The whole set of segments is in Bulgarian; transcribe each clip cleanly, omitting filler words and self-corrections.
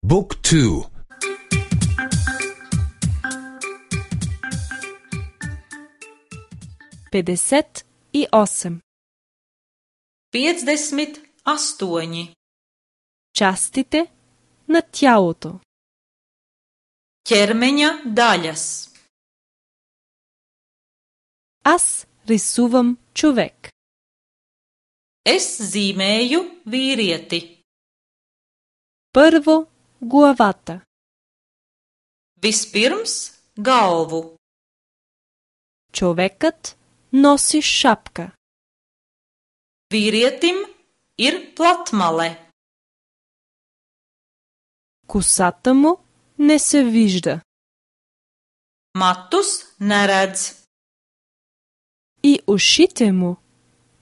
Book 2. 58. 58. Частите на тялото. Ķermeņa daļas. Аз рисувам човек. Es zīmēju vīrieti. Първо главата. Vispirms galvu. Човекът носи шапка. Vīrietim ir platmale. Косата му не се вижда. Matus neredz. И ушите му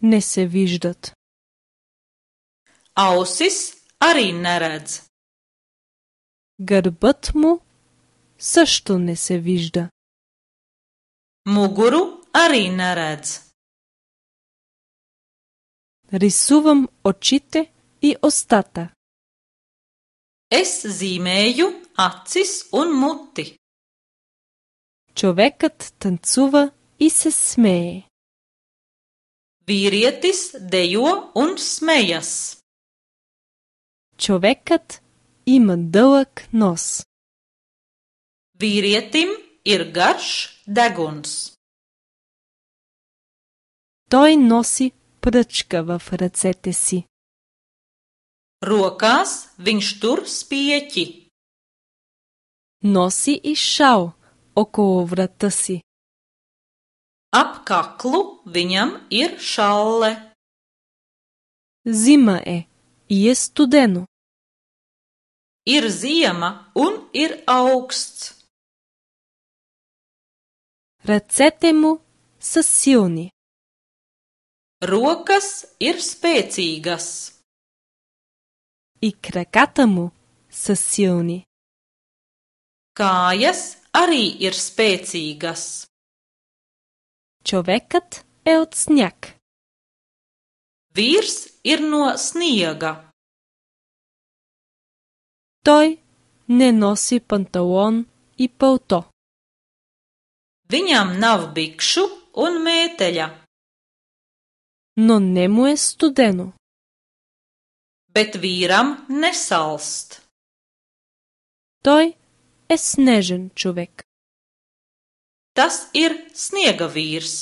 не се виждат. Ausis arī neredz. Гърбът му също не се вижда. Muguru arī neredz. Рисувам очите и устата. Es zīmēju acis un muti. Човекът танцува и се смее. Vīrietis dejo un smejas. Човекът има дълъг нос. Vīrietim ir garš deguns. Той носи пръчка в ръцете си. Rokās viņš tur spieķi. Носи и шал около врата си. Ap kaklu viņam ir šalle. Зима е и е студено. Ir ziema un ir augsts. Ръцете му са силни. Rokas ir spēcīgas. И краката му са силни. Kājas arī ir spēcīgas. Човекът е от сняг. Vīrs ir no sniega. Той не носи панталон и пълто. Viņam nav bikšu un mēteļa, Но не му е студено. bet vīram nesalst. Той е снежен човек. Tas ir sniega vīrs.